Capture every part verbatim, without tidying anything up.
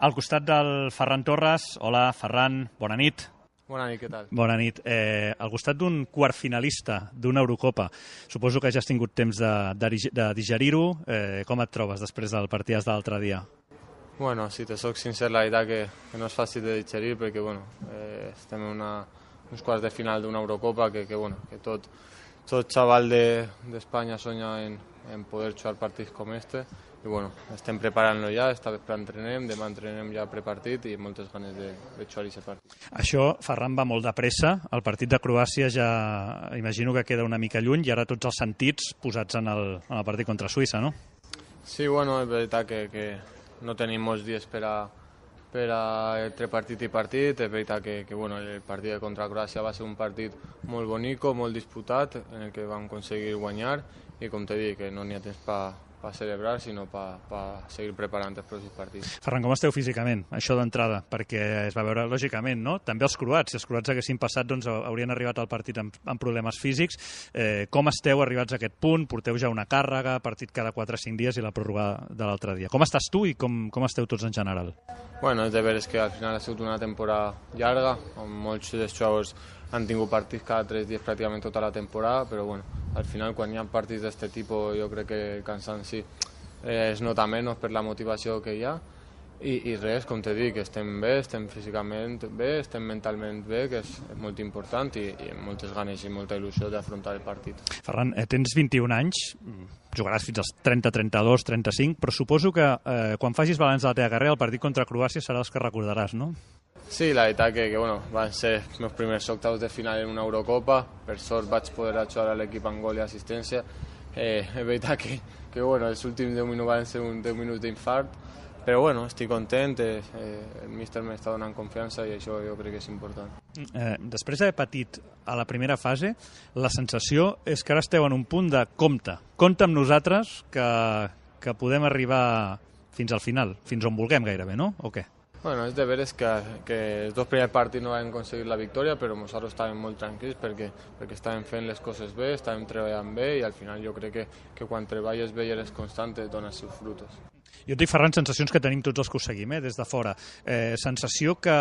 Al costat del Ferran Torres. Hola, Ferran, bona nit. Bona nit, què tal? Bona nit. Eh, al costat d'un quart finalista d'una Eurocopa, suposo que ja has tingut temps de, de, de digerir-ho. Eh, com et trobes després del partit de l'altre dia? Bueno, si te soc sincer, la veritat que, que no és fàcil de digerir perquè bueno, eh, estem en una, uns quarts de final d'una Eurocopa que, que, bueno, que tot, tot xaval d'Espanya de, soña en, en poder jugar partits com este. I bueno, estem preparant-lo ja, esta vespre entrenem, demà entrenem ja prepartit i moltes ganes de, de jugar aquest partit. Això, Ferran, va molt de pressa. El partit de Croàcia ja imagino que queda una mica lluny i ara tots els sentits posats en el, en el partit contra Suïssa, no? Sí, bueno, és veritat que, que no tenim molts dies per a, per a entre partit i partit. És veritat que, que bueno, el partit contra Croàcia va ser un partit molt bonic, molt disputat, en el que vam aconseguir guanyar i com t'he dit, que no n'hi ha temps per per celebrar, sinó per, per seguir preparant els pròxims partits. Ferran, com esteu físicament? Això d'entrada, perquè es va veure lògicament, no? També els croats, si els croats haguessin passat, doncs haurien arribat al partit amb, amb problemes físics. Eh, com esteu arribats a aquest punt? Porteu ja una càrrega, partit cada quatre o cinc dies i la pròrroga de l'altre dia. Com estàs tu i com, com esteu tots en general? Bueno, és de veres que al final ha sigut una temporada llarga, on molts dels jugadors han tingut partits cada tres dies pràcticament tota la temporada, però bueno, al final quan hi ha partits d'aquest tipus jo crec que el cansanci eh, es nota menys per la motivació que hi ha i, i res, com t'he dit, que estem bé, estem físicament bé, estem mentalment bé, que és, és molt important i, i amb moltes ganes i molta il·lusió d'afrontar el partit. Ferran, eh, tens vint-i-un anys, jugaràs fins als trenta, trenta-dos, trenta-cinc, però suposo que eh, quan facis balanç de la teva carrera el partit contra Croàcia serà els que recordaràs, no? Sí, la veritat que, que bueno, van ser els meus primers octaus de final en una Eurocopa. Per sort vaig poder ajudar a l'equip amb gol i assistència. Eh, és veritat que, que bueno, els últims deu minuts van ser un deu minuts d'infart, però bueno, estic content, eh, el míster m'està donant confiança i això jo crec que és important. Eh, després d'haver patit a la primera fase, la sensació és que ara esteu en un punt de compte. Compte amb nosaltres que, que podem arribar fins al final, fins on vulguem gairebé, no? O què? Bueno, és de veres que, que els dos primers partits no vam aconseguir la victòria, però nosaltres estàvem molt tranquils perquè, perquè estàvem fent les coses bé, estàvem treballant bé i al final jo crec que, que quan treballes bé i eres constant et dona els seus frutos. Jo et dic, Ferran, sensacions que tenim tots els que ho seguim, eh, des de fora. Eh, sensació que,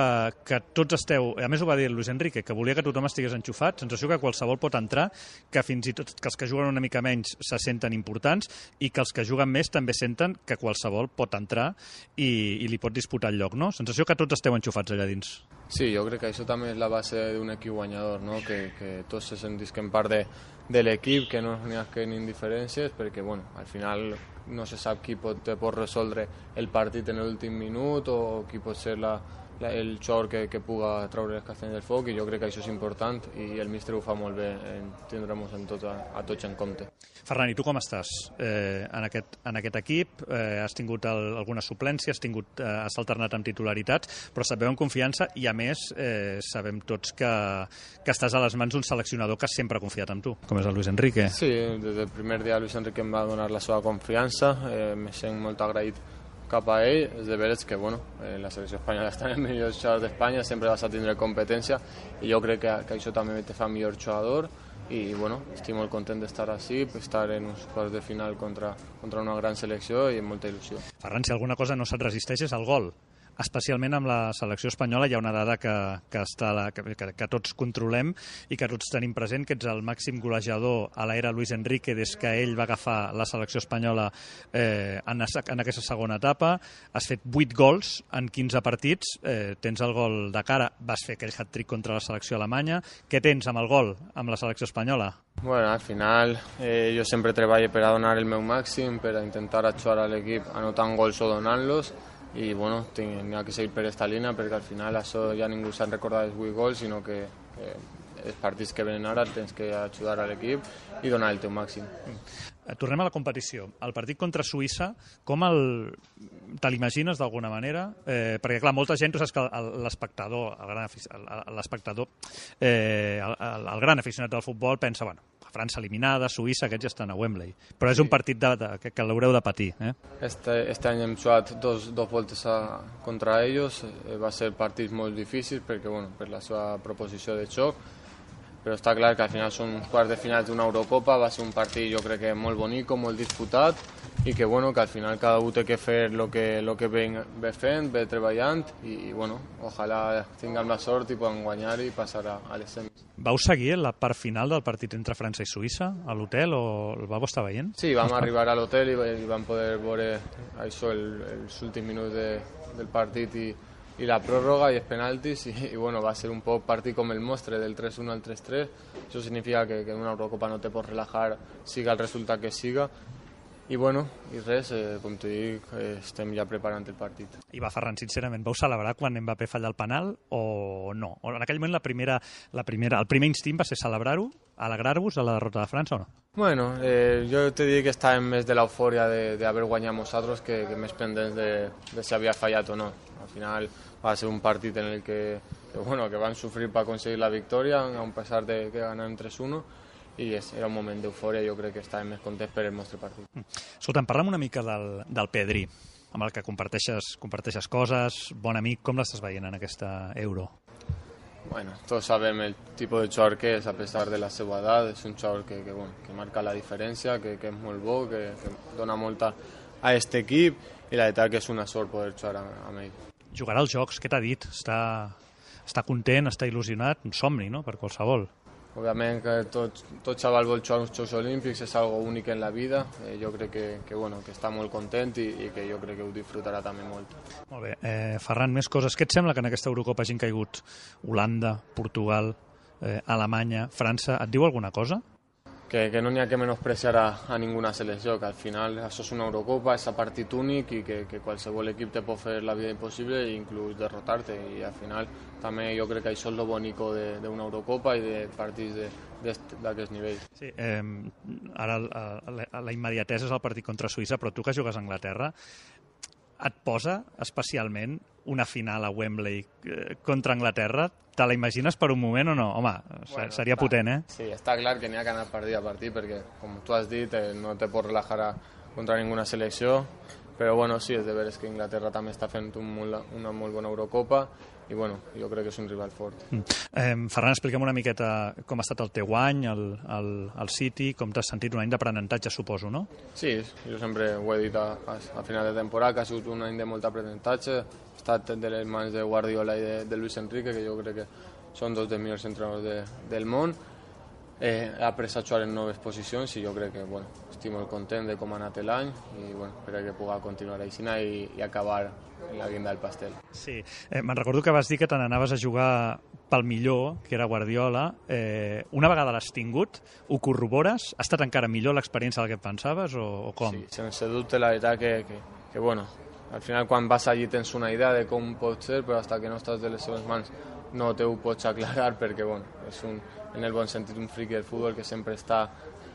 que tots esteu... A més ho va dir Luis Enrique, que volia que tothom estigués enxufat, sensació que qualsevol pot entrar, que fins i tot que els que juguen una mica menys se senten importants i que els que juguen més també senten que qualsevol pot entrar i, i li pot disputar el lloc, no? Sensació que tots esteu enxufats allà dins. Sí, jo crec que això també és la base d'un equip guanyador, no? que, que tots se sentisquen part de, de l'equip, que no n'hi ha que indiferències, perquè bueno, al final no se sap qui pot, pot resoldre el partit en l'últim minut o qui pot ser la, la, el jugador que, que puga treure les castanyes del foc, i jo crec que això és important i el míster ho fa molt bé en tindre-nos en tot, a, a tots en compte. Ferran, i tu com estàs eh, en, aquest, en aquest equip? Eh, has tingut el, alguna suplència, has, tingut, eh, has alternat amb titularitats, però sabeu en confiança i a més eh, sabem tots que, que estàs a les mans d'un seleccionador que sempre ha confiat en tu, com és el Luis Enrique. Sí, des del primer dia Luis Enrique em va donar la seva confiança, eh, me sent molt agraït cap a ell. És de veres que bueno, eh, la selecció espanyola està en els millors jugadors d'Espanya, sempre vas a tindre competència i jo crec que, que això també te fa millor jugador i bueno, estic molt content d'estar així, estar en uns quarts de final contra, contra una gran selecció i amb molta il·lusió. Ferran, si alguna cosa no se't resisteix és el gol. Especialment amb la selecció espanyola hi ha una dada que, que, està la, que, que, que tots controlem i que tots tenim present, que ets el màxim golejador a l'era Luis Enrique des que ell va agafar la selecció espanyola eh, en, en aquesta segona etapa. Has fet vuit gols en quinze partits, eh, tens el gol de cara, vas fer aquell hat-trick contra la selecció alemanya. Què tens amb el gol, amb la selecció espanyola? Bueno, al final eh, jo sempre treballo per a donar el meu màxim, per a intentar ajudar a l'equip anotant gols o donant-los, i bueno, n'hi ha que seguir per aquesta línia perquè al final això ja ningú se'n recorda dels vuit gols, sinó que, que els partits que venen ara tens que ajudar a l'equip i donar el teu màxim. Tornem a la competició. El partit contra Suïssa, com el... te l'imagines d'alguna manera? Eh, perquè, clar, molta gent, tu saps que l'espectador, el gran, l'espectador, eh, el, el, el gran aficionat del futbol pensa, bueno, França eliminada, Suïssa, aquests ja estan a Wembley. Però és un partit de, de, que, que l'haureu de patir. Eh? Este, este any hem jugat dos, dos voltes a, contra ells. Eh, va ser partits molt difícils perquè, bueno, per la seva proposició de xoc, però està clar que al final són uns quarts de final d'una Eurocopa, va ser un partit jo crec que molt bonic, molt disputat i que, bueno, que al final cada un té que fer el que, lo que ve, ve fent, ve treballant i, bueno, ojalà tinguem la sort i podem guanyar i passar a, a les semis. Vau seguir la part final del partit entre França i Suïssa a l'hotel o el vau estar veient? Sí, vam arribar a l'hotel i, i vam poder veure això, el, els últims minuts de, del partit i, i la pròrroga i els penaltis i, i bueno, va ser un poc partit com el nostre, del tres uno al tres tres. Això significa que, que en una Eurocopa no te pots relajar, siga el resultat que siga. I bueno, i res, eh, com t'ho dic, eh, estem ja preparant el partit. I va, Ferran, sincerament, vau celebrar quan Mbappé falla el penal o no? O en aquell moment la primera, la primera, el primer instint va ser celebrar-ho, alegrar-vos de la derrota de França o no? Bueno, eh, jo te dic que estàvem més de l'eufòria d'haver guanyat nosaltres que, que més pendents de, de si havia fallat o no. Al final va ser un partit en el que, que, bueno, que van sofrir per aconseguir la victòria, a pesar de que ganàvem tres uno, i era un moment d'eufòria, jo crec que estàvem més contents per el nostre partit. Escolta'm, parla'm una mica del, del Pedri, amb el que comparteixes, comparteixes coses, bon amic, com l'estàs veient en aquesta Euro? Bueno, tots sabem el tipus de jugador que és, a pesar de la seva edat, és un jugador que, que, bueno, que marca la diferència, que, que és molt bo, que, que dona molta a aquest equip, i la veritat que és una sort poder jugar amb ell. Jugarà als Jocs, què t'ha dit? Està, està content, està il·lusionat? Un somni, no?, per qualsevol. Òbviament que tot, tot xaval vol jugar uns Jocs Olímpics, és algo únic en la vida. Eh, jo crec que, que, bueno, que està molt content i, i que jo crec que ho disfrutarà també molt. Molt bé. Eh, Ferran, més coses. Què et sembla que en aquesta Eurocopa hagin caigut Holanda, Portugal, eh, Alemanya, França? Et diu alguna cosa? Que, que no n'hi ha que menospreciar a, a ninguna selecció, que al final això és una Eurocopa, és un partit únic i que, que qualsevol equip te pot fer la vida impossible i inclús derrotar-te, i al final també jo crec que això és lo bonico d'una Eurocopa i de partits d'aquest nivell. Sí, eh, ara la, la immediatesa és el partit contra Suïssa, però tu que jugues a Anglaterra, et posa especialment una final a Wembley contra Anglaterra? Te la imagines per un moment o no? Home, bueno, seria està, potent, eh? Sí, està clar que n'hi ha que anar partit a partit perquè, com tu has dit, eh, no te pots relajar a, contra ninguna selecció, però bueno, sí, és de veres que Inglaterra també està fent un molt, una molt bona Eurocopa i bueno, jo crec que és un rival fort. Mm. Eh, Ferran, explica'm una miqueta com ha estat el teu any, el, el, el City, com t'has sentit, un any d'aprenentatge, suposo, no? Sí, jo sempre ho he dit a, a, a final de temporada, que ha sigut un any de molt aprenentatge, he estat de les mans de Guardiola i de, de Luis Enrique, que jo crec que són dos dels millors entrenadors de, del món. Eh, he après a jugar en noves posicions i jo crec que bueno, estic molt content de com ha anat l'any i bueno, crec que pugui continuar així i, i acabar en la guinda del pastel. Sí, eh, me'n recordo que vas dir que te n'anaves a jugar pel millor, que era Guardiola. Eh, una vegada l'has tingut, ho corrobores? Ha estat encara millor l'experiència del que pensaves o, o com? Sí, sense dubte, la veritat que, que, que bueno, al final quan vas allí tens una idea de com pot ser, però hasta que no estàs de les seves mans no te ho pots aclarar perquè bueno, és un, en el bon sentit un friqui del futbol que sempre està,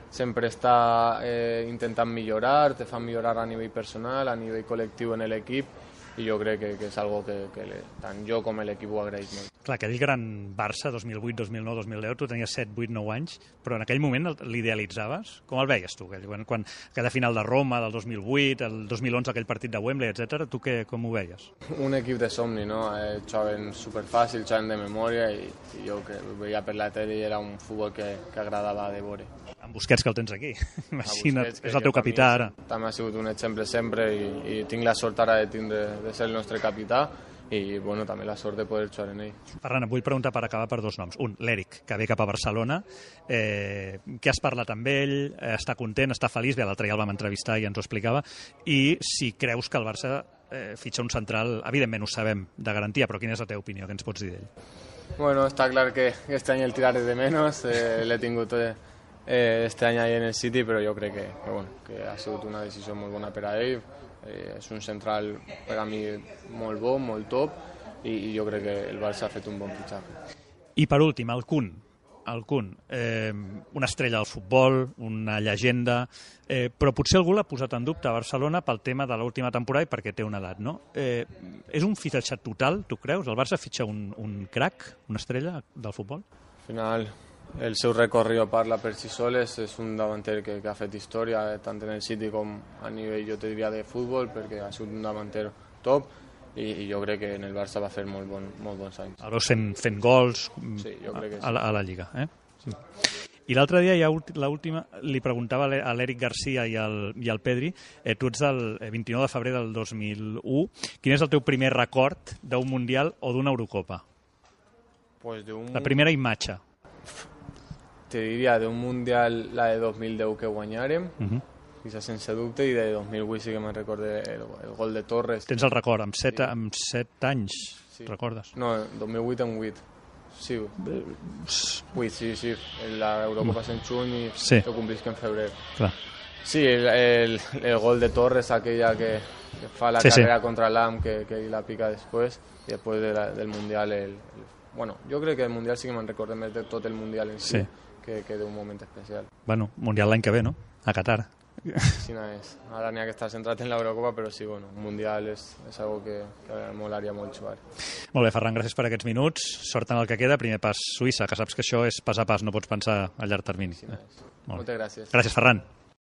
sempre està eh, intentant millorar, te fa millorar a nivell personal, a nivell col·lectiu en l'equip i jo crec que, que és algo que, que le, tant jo com l'equip ho agraeix molt. Clar, aquell gran Barça, dos mil vuit, dos mil nou, dos mil deu, tu tenies set, vuit, nou anys, però en aquell moment l'idealitzaves? Com el veies tu? Quan, quan aquella final de Roma del dos mil vuit, el dos mil onze aquell partit de Wembley, etcètera, tu què, com ho veies? Un equip de somni, no? Eh, jugaven superfàcil, jugaven de memòria i, i jo que ho veia per la tele i era un futbol que, que agradava de veure. Amb Busquets, que el tens aquí. Imagina't, és el teu capità ara. També ha sigut un exemple sempre i, i tinc la sort ara de, tindre, de ser el nostre capità i bueno, també la sort de poder jugar en ell. Ferran, et vull preguntar per acabar per dos noms. Un, l'Eric, que ve cap a Barcelona. Eh, què has parlat amb ell? Eh, està content, està feliç? Bé, l'altre ja el vam entrevistar i ens ho explicava. I si creus que el Barça eh, fitxa un central, evidentment ho sabem, de garantia, però quina és la teva opinió? Què ens pots dir d'ell? Bueno, està clar que este any el tiraré de menos. Eh, l'he tingut eh, este any ahí en el City, però jo crec que, que, bueno, que ha sigut una decisió molt bona per a ell. Eh, és un central per a mi molt bo, molt top i, i jo crec que el Barça ha fet un bon fitxatge. I per últim, el Kun, el Kun, eh, una estrella del futbol, una llegenda, eh, però potser algú l'ha posat en dubte a Barcelona pel tema de l'última temporada i perquè té una edat, no? Eh, és un fitxatge total, tu creus? El Barça fitxa un, un crack, una estrella del futbol? Al final el seu recorrido parla per si soles, és un davanter que, que ha fet història tant en el City com a nivell, jo te diria, de futbol, perquè ha sigut un davanter top i, i jo crec que en el Barça va fer molt, bon, molt bons anys. El veus fent, fent gols sí, jo crec que sí. a, la, a la Lliga, eh? Sí. I l'altre dia, ja l'última, li preguntava a l'Eric Garcia i al, i al Pedri, eh, tu ets del vint-i-nou de febrer del dos mil u, quin és el teu primer record d'un Mundial o d'una Eurocopa? Pues de un... La primera imatge. Te diria d'un Mundial la de dos mil deu que guanyàrem, uh -huh. quizás sense dubte, i de dos mil vuit sí que me'n recorde el, el gol de Torres. Tens el record, amb set, sí. amb set anys, sí. Recordes? No, dos mil vuit amb vuit. Sí, vuit, sí, sí. L'Eurocopa mm. en juny i sí. Ho complisc en febrer. Clar. Sí, el, el, el gol de Torres, aquella que, que fa la sí, carrera sí. Contra l'A M, que, que la pica després, i després de la, del Mundial, el, el, bueno, jo crec que el Mundial sí que me'n recorde més de tot el Mundial en si, sí. que, que d'un moment especial. Bueno, Mundial l'any que ve, no? A Qatar. Sí, no és. Ara n'hi ha que estar centrat en l'Eurocopa, però sí, bueno, un Mundial és, és algo que, que molaria molt jugar. Molt bé, Ferran, gràcies per aquests minuts. Sort en el que queda. Primer pas Suïssa, que saps que això és pas a pas, no pots pensar a llarg termini. Sí, no és. Moltes gràcies. Gràcies, Ferran.